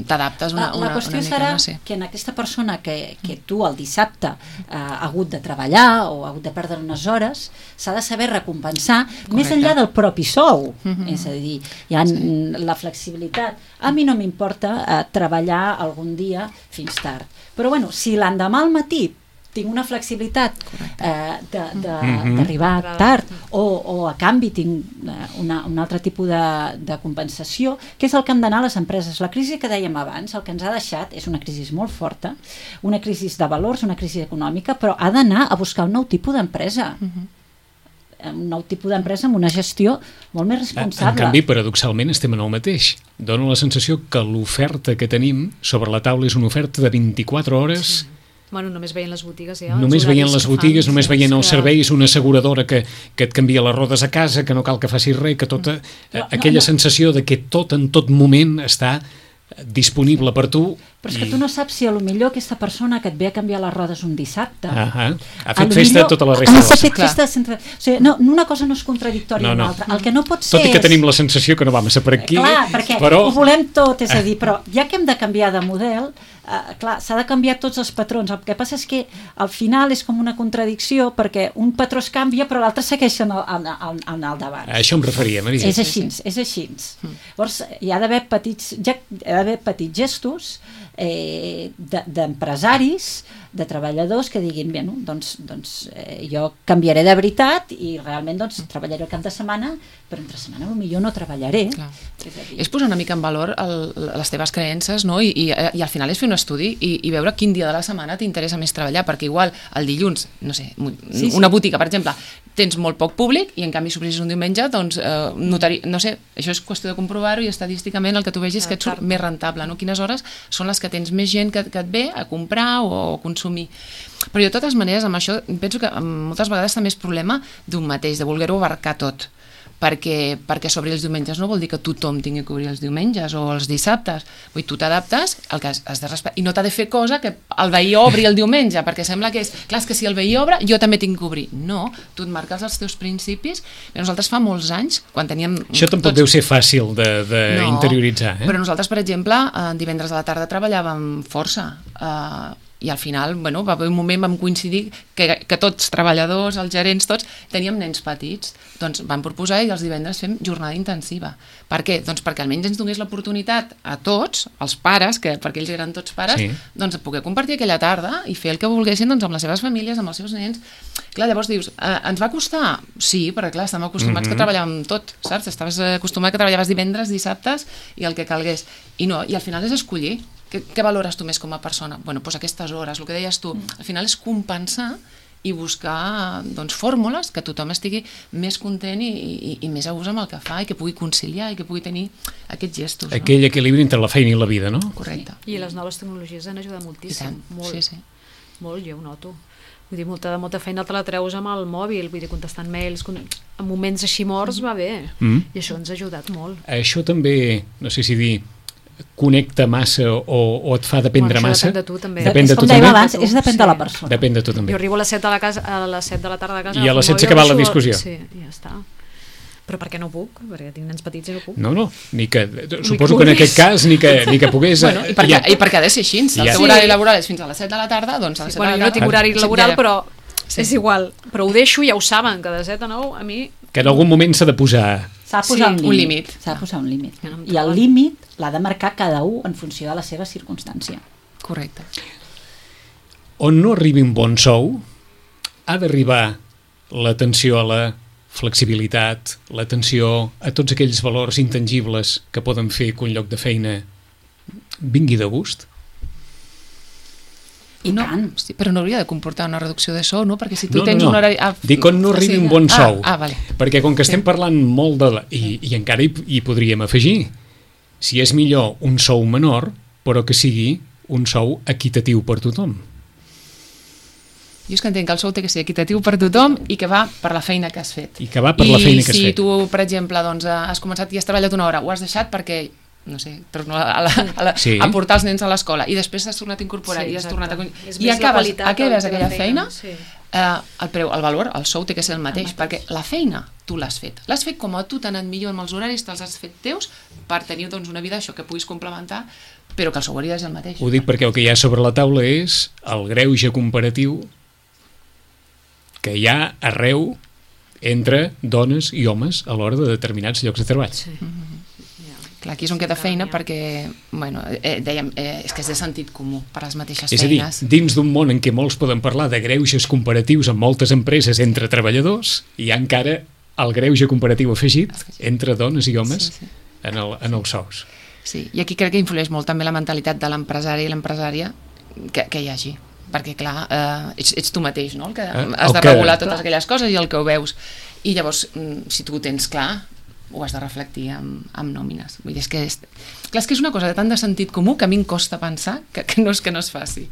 t'adaptes una, La, la una, qüestió una mica, serà no sé. que en aquesta persona que, que tu el dissabte eh, ha hagut de treballar o ha hagut de perdre unes hores, s'ha de saber recompensar més enllà del propi sou. Mhm. És a dir, hi ha sí. la flexibilitat. A mi no m'importa eh, treballar algun dia fins tard. Però bueno, si l'endemà al matí tinc una flexibilitat eh, de- de- Mhm. d'arribar de, tard o, o a canvi tinc eh, una, un altre tipus de, de compensació, que és el que han d'anar a les empreses. La crisi que dèiem abans, el que ens ha deixat és una crisi molt forta, una crisi de valors, una crisi econòmica, però ha d'anar a buscar un nou tipus d'empresa. Un nou tipus d'empresa amb una gestió molt més responsable. En canvi, paradoxalment, estem en el mateix. Dóna la sensació que l'oferta que tenim sobre la taula és una oferta de vint-i-quatre hores. Sí. Bueno, només veient les botigues ja. els Només veient horaris les que botigues, fan, només sí, veient és els que- serveis, una asseguradora que, que et canvia les rodes a casa, que no cal que facis res, que tota No, no, aquella no. sensació de que tot en tot moment està disponible per tu. Però és que tu no saps si a lo millor aquesta persona que et ve a canviar les rodes un dissabte Ah, ha a fet lo festa millor- tota la ha resta de la fet Clar. festa sense... O sigui, no, una cosa no és contradictòria No, amb no. l'altra. El que no pot ser Tot i que és... tenim la sensació que no va massa per aquí, Clar, perquè però... ho volem tot, és a dir, però ja que hem de canviar de model, eh, clar, s'ha de canviar tots els patrons. El que passa és que al final és com una contradicció perquè un patró es canvia però l'altre segueix en el, en, en, en el davant. A això em referia, Maria. És així, és així. Llavors, hi ha d'haver petits, ja, hi ha d'haver petits gestos eh, de- d'empresaris, de treballadors que diguin, bé, no, doncs, doncs eh, jo canviaré de veritat i realment doncs, treballaré el cap de setmana, però entre setmana potser no treballaré. Clar. És a dir, És posar una mica en valor el, les teves creences, no? I, i, i al final és fer un estudi i, i veure quin dia de la setmana t'interessa més treballar, perquè igual el dilluns, no sé, mu- Sí, sí. una botiga, per exemple, tens molt poc públic i en canvi si obrissis un diumenge, doncs eh, notari, no sé, això és qüestió de comprovar-ho i estadísticament el que tu vegis que et surt més rentable, no? Quines hores són les que tens més gent que, que et ve a comprar o a consumir. Però jo, de totes maneres, amb això penso que moltes vegades també és problema d'un mateix, de voler-ho abarcar tot, perquè, perquè s'obri els diumenges no vol dir que tothom tingui que obrir els diumenges o els dissabtes. Vull dir, tu t'adaptes, el que has, has de respectar, i no t'ha de fer cosa que el veí obri el diumenge, perquè sembla que és, clar, és que si el veí obre, jo també tinc que obrir. No, tu et marques els teus principis. Bé, nosaltres fa molts anys, quan teníem... Això tampoc deu ser fàcil d'interioritzar. Eh? Però nosaltres, per exemple, eh, divendres a la tarda treballàvem força, eh, i al final, bueno, va haver un moment, vam coincidir que, que tots, treballadors, els gerents, tots, teníem nens petits. Doncs vam proposar i els divendres fem jornada intensiva. Per què? Doncs perquè almenys ens donés l'oportunitat a tots, als pares, que perquè ells eren tots pares, sí. doncs poder compartir aquella tarda i fer el que volguessin doncs, amb les seves famílies, amb els seus nens. Clar, llavors dius, eh, ens va costar? Sí, perquè clar, estàvem acostumats mm-hmm. que treballàvem tot, saps? Estaves acostumat que treballaves divendres, dissabtes i el que calgués. I no, i al final és escollir. Què, què valores tu més com a persona? Bueno, doncs aquestes hores, el que deies tu, al final és compensar i buscar doncs, fórmules que tothom estigui més content i, i, i més a gust amb el que fa i que pugui conciliar i que pugui tenir aquests gestos. No? Aquell equilibri entre la feina i la vida, no? Correcte. I les noves tecnologies han ajudat moltíssim. Molt, sí, sí. molt, jo ho noto. Vull dir, molta, molta feina te la treus amb el mòbil, vull dir, contestant mails, en moments així morts va bé, mm. i això ens ha ajudat molt. Això també, no sé si dir, connecta massa o, o et fa dependre bueno, massa? Depèn de tu també. Depèn de tu com també? Abans, és depèn sí. de la persona. Depèn de tu també. Jo arribo a les set de la, casa, a les set de la tarda a casa i a les set s'ha acabat la discussió. Sí, ja està. Però perquè no puc? Perquè tinc nens petits i no puc. No, no, ni que, suposo que en aquest cas ni que, ni que pogués... Bueno, i, perquè, ja. I perquè ha de ser així, el teu horari laboral és fins a les set de la tarda, doncs a les sí, set bueno, de la tarda... Jo no tinc horari laboral, però sí. és igual. Però ho deixo, ja ho saben, que de set a nou a mi... Que en algun moment s'ha de posar... S'ha de posar sí, un límit. límit. S'ha de posar un límit. No I el límit l'ha de marcar cada un en funció de la seva circumstància. Correcte. On no arribi un bon sou, ha d'arribar l'atenció a la flexibilitat, l'atenció a tots aquells valors intangibles que poden fer que un lloc de feina vingui de gust? I no, tant. Sí, però no hauria de comportar una reducció de sou, no? Perquè si tu no, tens no, no. un horari... Ah, dic on no arribi sí, un bon sou. Ah, ah, vale. Perquè com que estem sí. parlant molt de... La, i, I encara hi, hi podríem afegir. Si és millor un sou menor, però que sigui un sou equitatiu per tothom. Jo és que entenc que el sou té que ser equitatiu per tothom i que va per la feina que has fet. I que va per I la feina que has si fet. I si tu, per exemple, doncs, has començat i has treballat una hora, ho has deixat perquè... no sé, torno a, la, a, la, sí. a portar els nens a l'escola i després t'has tornat a incorporar sí, i has tornat a... I acabes, acabes aquella feina, feina sí. eh, el preu, el valor, el sou té que ser el mateix, el mateix. perquè la feina tu l'has fet. L'has fet com a tu t'ha anat millor amb els horaris, te'ls has fet teus per tenir doncs, una vida això que puguis complementar, però que el sou hauria de ser el mateix. Ho dic perquè el que hi ha sobre la taula és el greuge comparatiu que hi ha arreu entre dones i homes a l'hora de determinats llocs de treball. Sí. Mm-hmm. Clar, aquí és on queda feina perquè, bueno, eh, dèiem, eh, és que és de sentit comú per les mateixes és feines. És a dir, dins d'un món en què molts poden parlar de greuges comparatius amb moltes empreses entre treballadors, hi ha encara el greuge comparatiu afegit entre dones i homes sí, sí. En, el, en els sous. Sí, i aquí crec que influeix molt també la mentalitat de l'empresari i l'empresària que, que hi hagi. Perquè, clar, eh, ets, ets tu mateix, no?, el que eh, has de que... regular totes clar. aquelles coses i el que ho veus. I llavors, si tu ho tens clar, ho has de reflectir amb, amb nòmines. Vull dir, és que és, clar, és que és una cosa de tant de sentit comú que a mi em costa pensar que, que, no, és, que no es faci.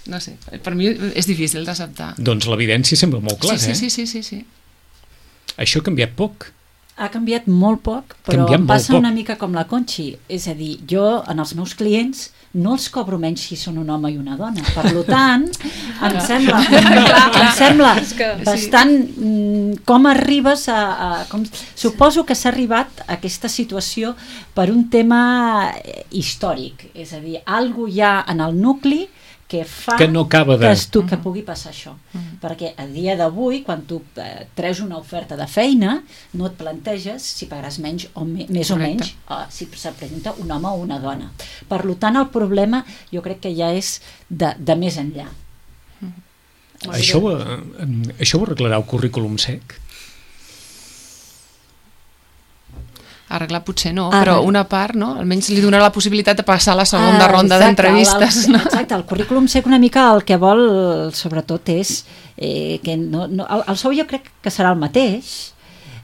No sé, per mi és difícil d'acceptar. Doncs l'evidència sembla molt clara, sí, sí, eh? sí, sí, sí, sí. Això ha canviat poc. Ha canviat molt poc, però canviat em passa poc. una mica com la Conxi. És a dir, jo, en els meus clients, no els cobro menys si són un home i una dona. Per tant, em sembla, em sembla bastant com arribes a... a com, suposo que s'ha arribat a aquesta situació per un tema històric. És a dir, alguna cosa hi ha en el nucli que fa que, no acaba de... que, tu, que pugui passar això. Uh-huh. Perquè a dia d'avui, quan tu eh, treus una oferta de feina, no et planteges si pagaràs menys o me, més Correcte. o menys eh, si se presenta un home o una dona. Per tant, el problema jo crec que ja és de, de més enllà. Uh-huh. Això, ho, això ho arreglarà el currículum sec? Arreglar potser no, ah, però una part, no? Almenys li donarà la possibilitat de passar a la segona ah, ronda d'entrevistes. El, no? Exacte, el currículum sec una mica el que vol, sobretot, és eh, que no, no, el, el sou jo crec que serà el mateix.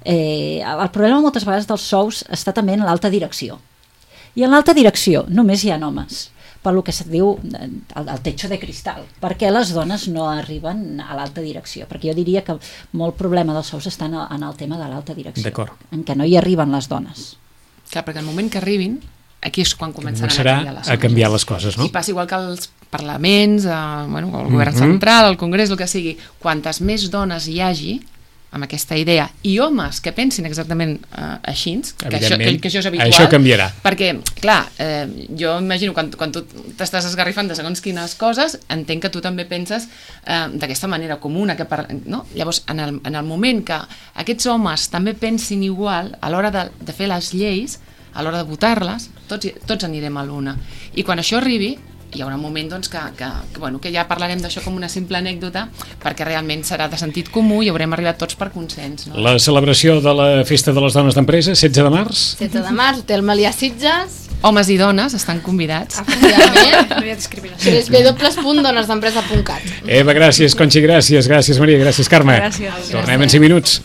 Eh, el problema moltes vegades dels sous està també en l'alta direcció. I en l'alta direcció només hi ha homes, per lo que se diu el, el techo de cristal, perquè les dones no arriben a l'alta direcció, perquè jo diria que molt problema dels sous està en el, en el tema de l'alta direcció, en què no hi arriben les dones. Clar, perquè el moment que arribin, aquí és quan començaran Començarà a canviar les a canviar les coses, no? I passa igual que els parlaments, eh, bueno, el govern mm-hmm. central, el congrés, el que sigui, quantes més dones hi hagi, amb aquesta idea, i homes que pensin exactament uh, així, que això, que, que això és habitual. Això canviarà. Perquè, clar, eh, jo imagino quan, quan tu t'estàs esgarrifant de segons quines coses, entenc que tu també penses eh, d'aquesta manera comuna. Que per, no? Llavors, en el, en el moment que aquests homes també pensin igual, a l'hora de, de fer les lleis, a l'hora de votar-les, tots, tots anirem a l'una. I quan això arribi, hi haurà un moment doncs, que, que, que, bueno, que ja parlarem d'això com una simple anècdota, perquè realment serà de sentit comú i haurem arribat tots per consens. No? La celebració de la Festa de les Dones d'Empresa, setze de març. setze de març, Hotel Melià Sitges. Homes i dones estan convidats. Efectivament. No hi ha discriminació. w w w punt dones d'empresa punt cat. Eva, gràcies. Conxi, gràcies. Gràcies, Maria. Gràcies, Carme. Gràcies. Tornem en cinc minuts.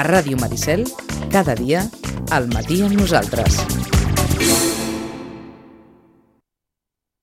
A Ràdio Maricel, cada dia, al matí amb nosaltres.